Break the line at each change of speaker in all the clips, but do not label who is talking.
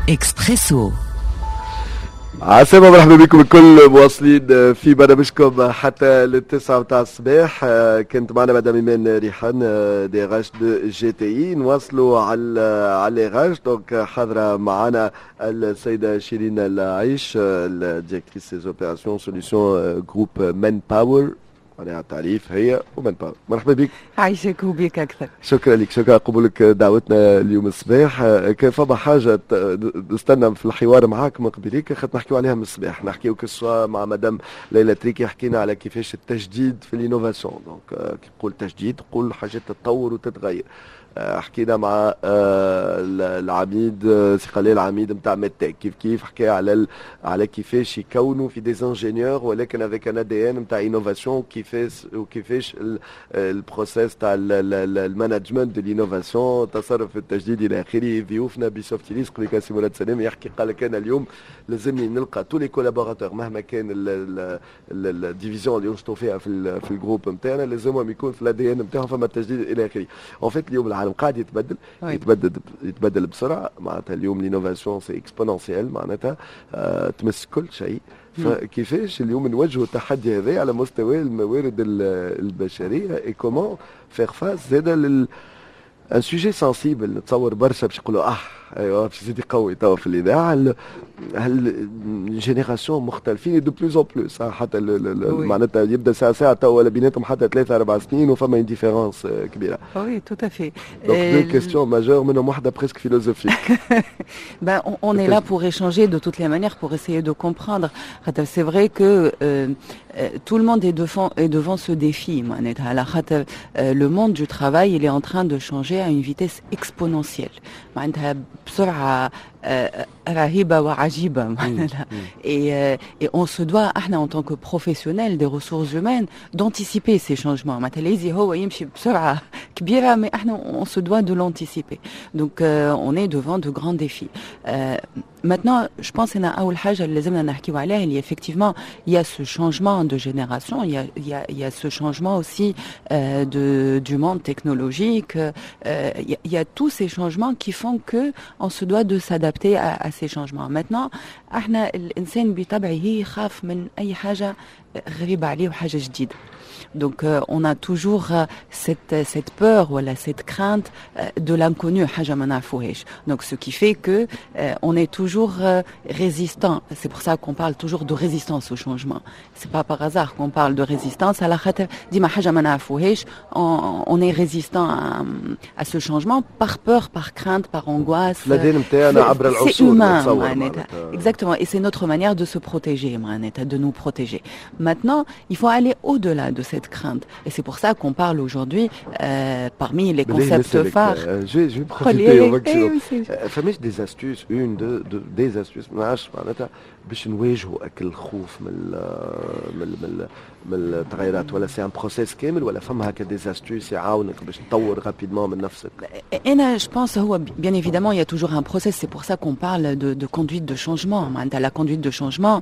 اكسبريسو.
عسلامة، مرحبا بكم الكل، مواصلين في برنامجكم حتى لل9 متاع الصباح. كانت معنا مدام ايمان ريحان، DRH de GTI. نواصلوا على RH، donc حاضرة معنا السيدة شيرين العيش، ال directrice des opérations solutions groupe Manpower، معناها التعريف هي و Manpower. مرحبا بك.
عايشك وبيك اكثر.
شكرا لك، شكرا قبولك دعوتنا اليوم الصباح. كان فما حاجة نستنى في الحوار معاك من قبليك، خاطر نحكيو عليها من الصباح، نحكيو que ce soit مع مدام ليلى تريكي، حكينا على كيفاش التجديد في l'innovation، donc كي نقول تجديد نقول حاجات تتطور وتتغير. حكينا مع العميد سي خليل، العميد نتاع MedTech، كيف كيف حكى على كيفاش يكونوا في des ingénieurs ولكن avec un ADN نتاع innovation، كيفاش وكيفاش ال process تاع ال management de l'innovation، التصرف التجديدي الى اخره. ضيوفنا بسوفتيليس قبل، سي مراد سلام يحكي، قال لك انا اليوم لازمني نلقى tous les collaborateurs، مهما كان ال division اللي ينشطوا فيها في ال groupe نتاعنا، لازمهم يكون في l'ADN نتاعهم فما التجديد الى اخره. en fait اليوم العالم قاعد يتبدل، يتبدل يتبدل بسرعه، معناتها اليوم l'innovation c'est exponentiel، معناتها تمس كل شيء. فكيفاش اليوم نواجهوا التحدي هذا على مستوى الموارد البشريه et comment faire face زاده لل un sujet sensible؟ نتصور برشا باش يقولوا اه ايوا باش يزيد يقوي توا في الاذاعه، هال générations مختلفين de plus en plus، حتى معناتها يبدا ساعة ساعة توا ولا بيناتهم حتى 3 4 سنين وفما une différence كبيره.
oui، tout à fait.
donc deux questions majeures، منهم واحدة presque philosophique.
Ben, on est là pour échanger de toutes les manières, pour essayer de comprendre. C'est vrai que tout le monde est devant ce défi. معناتها على خاطر le monde du travail, il est en train de changer à une vitesse exponentielle. معناتها بسرعة رهيبة وعجيبة معناتها. Et on se doit, احنا en tant que professionnels des ressources humaines, d'anticiper ces changements. معناتها لازم هو يمشي بسرعة كبيرة، mais احنا on se doit de l'anticiper. Donc on est devant de grands défis. Maintenant, je pense ان أول حاجة اللي لازمنا نحكيو عليها اللي effectivement il y a ce changement de génération, il y a ce changement aussi du monde technologique, il y a tous ces changements qui font que on se doit de s'adapter à ces changements. Maintenant, احنا الإنسان بطبعه يخاف من أي حاجة غريبة عليه وحاجة جديدة. Donc on a toujours cette peur ولا cette crainte de l'inconnu، حاجة ما نعرفوهاش. Donc ce qui fait que on est toujours résistant. C'est pour ça qu'on parle toujours de résistance au changement. C'est pas par hasard qu'on parle de résistance. على خاطر ديما حاجة ما نعرفوهاش، on est résistant à ce changement par peur, par crainte, par angoisse.
l'ADN نتاعنا عبر
العصور. C'est humain معناتها. Exactement. Et c'est notre manière de se protéger معناتها، de nous protéger. Maintenant, il faut aller au-delà de cette crainte. Et c'est pour ça qu'on parle aujourd'hui, parmi les concepts phares.
Je vais profiter au maximum. فماش des astuces، une، deux des astuces، ما نعرفش، معناتها باش نواجهوا اك الخوف من التغيرات، ولا c'est un processus كامل، ولا فما هكا des astuces يعاونك باش تطور rapidement من نفسك؟
انا je pense هو bien évidemment il y a toujours un process، c'est pour ça qu'on parle de conduite de changement. معناتها la conduite de changement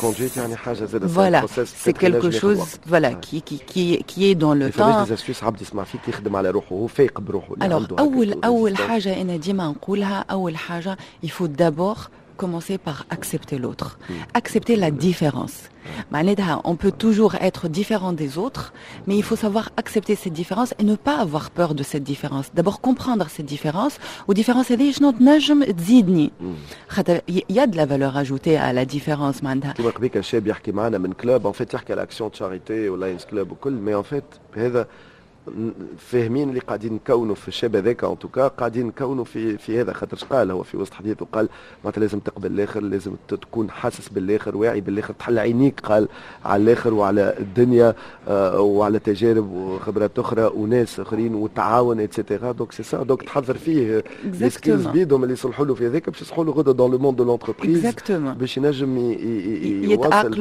conduite يعني حاجة زاد.
voilà، c'est quelque chose، voilà، qui est dans le
temps. des astuces، عبد يسمع فيك يخدم على روحه، هو فايق بروحه.
alors اول حاجة انا ديما نقولها، اول حاجة il faut d'abord commencer par accepter l'autre, accepter la différence. معناتها on peut toujours être différent des autres, mais il faut savoir accepter cette différence et ne pas avoir peur de cette différence. D'abord comprendre cette différence، و différence هذه شنو تنجم تزيدني. خاطر il y a de la valeur ajoutée à la différence معناتها.
كيما قبيك الشاب يحكي معنا من club، en fait يحكي على action charité و Lions Club وكل، mais en fait هذا فاهمين اللي قاعدين نكونوا في الشاب هذاك، en tout cas قاعدين نكونوا في هذا، خاطر قال هو في وسط حديثه، قال معناتها لازم تقبل الاخر، لازم تكون حاسس بالاخر، واعي بالاخر، تحل عينيك قال على الاخر وعلى الدنيا وعلى تجارب وخبرات اخرى وناس اخرين وتعاون et cetera. donc c'est ça، donc تحضر فيه les skills بيدهم اللي يصلحوا له في هذاك باش يصلحوا له غدا dans le monde de l'entreprise، باش ينجم
يواصل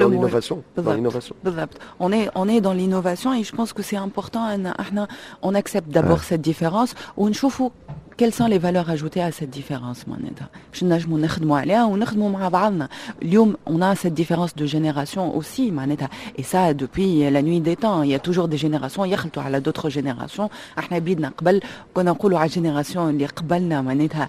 dans l'innovation. بالضبط، on est dans l'innovation et je pense que c'est important ان احنا on accepte d'abord cette différence ونشوفوا Quelles sont les valeurs ajoutées à cette différence معناتها باش نجموا نخدموا عليها ونخدموا مع بعضنا. اليوم on a cette différence de génération aussi معناتها, et ça depuis la nuit des temps, il y a toujours des générations يخلطوا على d'autres générations. احنا بيدنا قبل كنا نقولوا على génération اللي قبلنا معناتها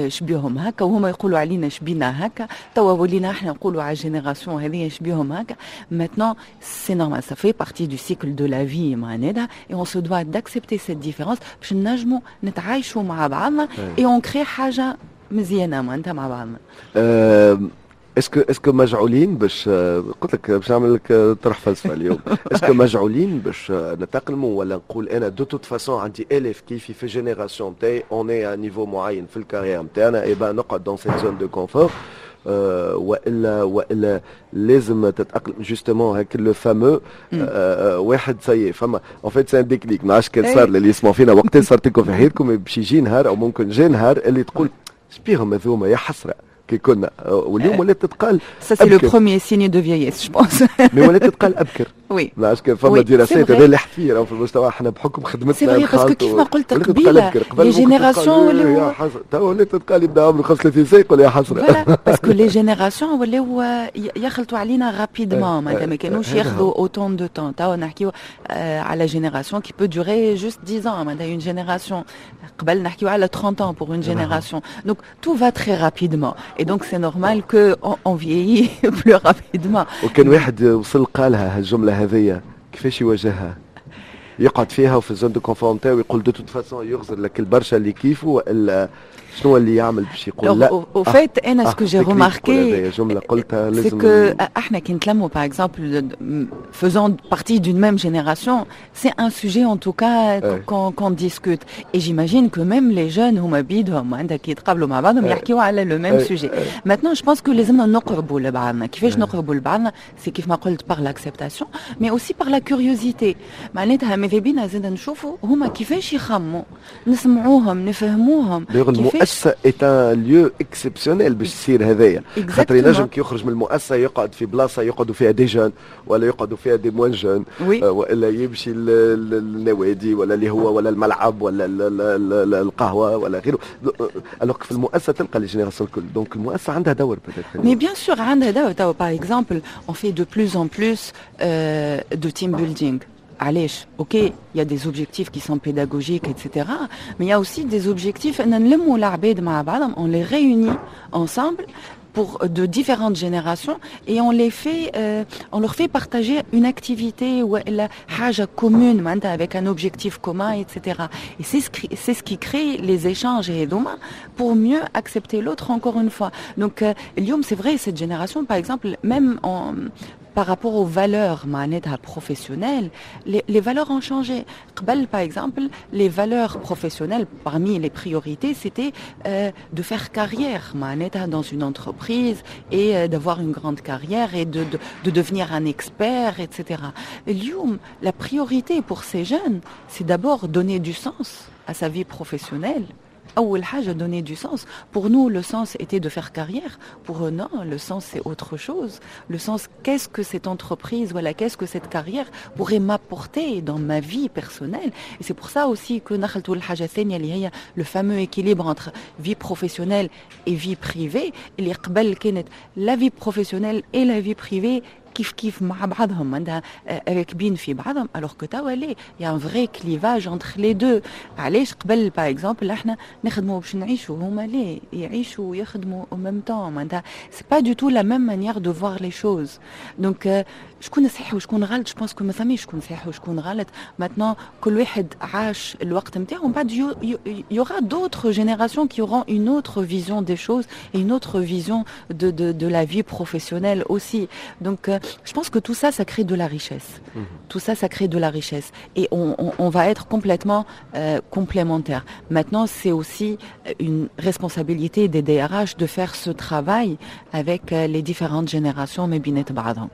شبيهم هكا, وهما يقولوا علينا شبينا هكا. توا ولينا احنا نقولوا على génération هذه شبيهم هكا. Maintenant, c'est normal, ça fait partie du cycle de la vie معناتها, et on se doit d'accepter cette différence باش نجموا نتعايشوا مع بعضنا et on crée حاجه مزيانه معناتها مع بعضنا.
Est-ce que مجعولين باش, قلت لك باش نعمل لك طرح فلسفه اليوم, est-ce que مجعولين باش نتاقلموا ولا نقول انا de toute façon عندي الاف كيفي في génération تاعي, on est à un niveau معين في ال carrière نتاعنا, et ben نقعد dans cette zone de confort, والا لازم تتاقلم؟ Justement هاك le fameux واحد ça y est, فما en fait c'est un déclic. ما عادش كان صار اللي يسمعوا فينا وقت صارت لكم في حياتكم, باش يجي نهار او ممكن جا نهار اللي تقول شبيهم هذوما, يا حسره كي كنا, واليوم ولات تتقال.
Ça, c'est le premier signe de vieillesse, je pense.
Mais ولات تتقال ابكر.
Oui.
ما عادش كان فما دراسات, هذا اللي حفير في المجتمع احنا بحكم خدمتنا.
C'est vrai, parce que كيف ما قلت قبيله, les générations
ولاو, تو ولات تتقال يبدا عمره 35 سنه يقول يا حسره.
Voilà, parce que les générations ولاو يخلطوا علينا rapidement, معناتها ما كانوش ياخذوا autant de temps. توا نحكيو على génération qui peut durer juste 10 ans, معناتها une génération. قبل نحكيو على 30 ans pour une génération. Donc tout va très rapidement et donc c'est normal que on vieillit plus rapidement.
وكان واحد وصل قالها هالجمله هذيا, كيفاش يواجهها؟ يقعد فيها وفي ال zone de confort نتاعو يقول de toute façon, يغزر لك البرشا اللي كيفه, والا شنو اللي يعمل باش يقول لا؟
Au fait, انا ce que j'ai remarqué,
جمله قلتها
لازم, c'est que احنا كي نتلموا, par exemple, faisant partie d'une même génération, c'est un sujet en tout cas qu'on discute, et j'imagine que même les jeunes هما بيدهم عندك كي يتقابلوا مع بعضهم يحكيوا على le même sujet. Maintenant, je pense que لازمنا نقربوا لبعضنا. كيفاش نقربوا لبعضنا؟ C'est كيف ما قلت, par l'acceptation mais aussi par la curiosité. معناتها ماذا بينا زاد نشوفوا هما كيفاش يخموا, نسمعوهم, نفهموهم.
المؤسسه est un lieu exceptionnel باش يصير هذايا, خاطر ينجم كي يخرج من المؤسسه يقعد في بلاصه يقعدوا فيها des jeunes ولا يقعدوا فيها des moins jeunes, والا يمشي للنوادي ولا اللي هو ولا الملعب ولا القهوه ولا غيره, alors في المؤسسه تلقى les générations الكل. Donc المؤسسه عندها دور.
Mais bien sûr عندها دور. توا par exemple, on fait de plus en plus de team building. علاش؟ Ok, il y a des objectifs qui sont pédagogiques, etc. Mais il y a aussi des objectifs, on les réunit ensemble pour de différentes générations et on leur fait partager une activité ou la حاجة commune avec un objectif commun, etc. Et c'est ce qui crée les échanges هذوما pour mieux accepter l'autre encore une fois. Donc, اليوم, c'est vrai, cette génération, par exemple, même par rapport aux valeurs معناتها professionnelles, les valeurs ont changé. قبل, par exemple, les valeurs professionnelles, parmi les priorités, c'était de faire carrière معناتها dans une entreprise et d'avoir une grande carrière et de devenir un expert, etc. اليوم, la priorité pour ces jeunes, c'est d'abord donner du sens à sa vie professionnelle. أول حاجة donner du sens. Pour nous, le sens était de faire carrière. Pour eux, non, le sens, c'est autre chose. Le sens, qu'est-ce que cette entreprise, voilà, qu'est-ce que cette carrière pourrait m'apporter dans ma vie personnelle? Et c'est pour ça aussi que نخلطوا الحاجة الثانية اللي هي le fameux équilibre entre vie professionnelle et vie privée. اللي قبل كانت la vie professionnelle et la vie privée كيف كيف مع بعضهم, عندها راكبين في بعضهم, alors que توا لا, il y a un vrai clivage entre les deux. علاش؟ قبل, par exemple, احنا نخدموا باش نعيشوا, هما لا, يعيشوا ويخدموا au même temps. معناتها c'est pas du tout la même manière de voir les choses. Donc شكون صحيح وشكون غلط؟ Je pense que ما ثماش شكون صحيح وشكون غلط. Maintenant, كل واحد عاش الوقت نتاعو, ومن بعد il y aura d'autres générations qui auront une autre vision des choses et une autre vision de la vie professionnelle aussi. Donc, je pense que tout ça, ça crée de la richesse. Tout ça, ça crée de la richesse. Et on va être complètement complémentaires. Maintenant, c'est aussi une responsabilité des DRH de faire ce travail avec les différentes générations, ما بينات بعضهم.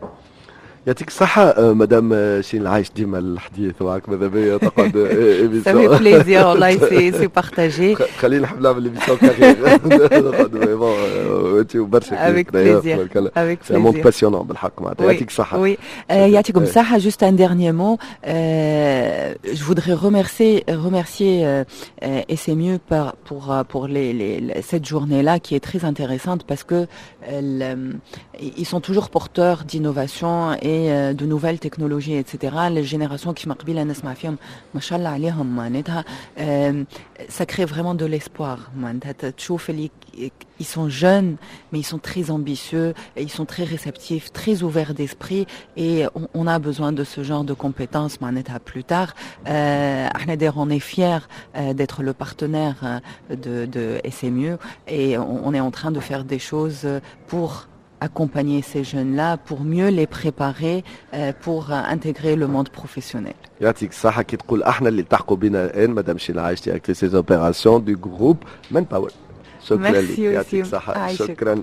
يعطيك الصحة مدام شيرين العايش, ديما الحديث معك ماذا بيا تقعد.
Ça fait plaisir والله, c'est partagé.
خلينا نحب نعمل émission carrière. وانت وبرشا.
Avec plaisir. Avec
plaisir. C'est un monde passionnant بالحق معناتها. يعطيك الصحة.
Oui. يعطيكم الصحة. Juste un dernier mot. Je voudrais remercier SMU pour cette journée-là qui est très intéressante parce que ils sont toujours porteurs d'innovation et de nouvelles technologies, etc. Les générations qui قبيله نسمع فيهم ما شاء الله عليهم معناتها ça crée vraiment de l'espoir. معناتها تشوف اللي ils sont jeunes, mais ils sont très ambitieux et ils sont très réceptifs, très ouverts d'esprit et on a besoin de ce genre de compétences معناتها plus tard. احنا d'ailleurs on est fiers d'être le partenaire de SMU et on est en train de faire des choses pour accompagner ces jeunes-là, pour mieux les préparer pour intégrer le monde professionnel.
يعطيك الصحة. كي تقول احنا، اللي التحقوا بنا الان مدام شيلا عايش، directrice des opérations du groupe Manpower. شكرا لك، يعطيك الصحة، شكرا.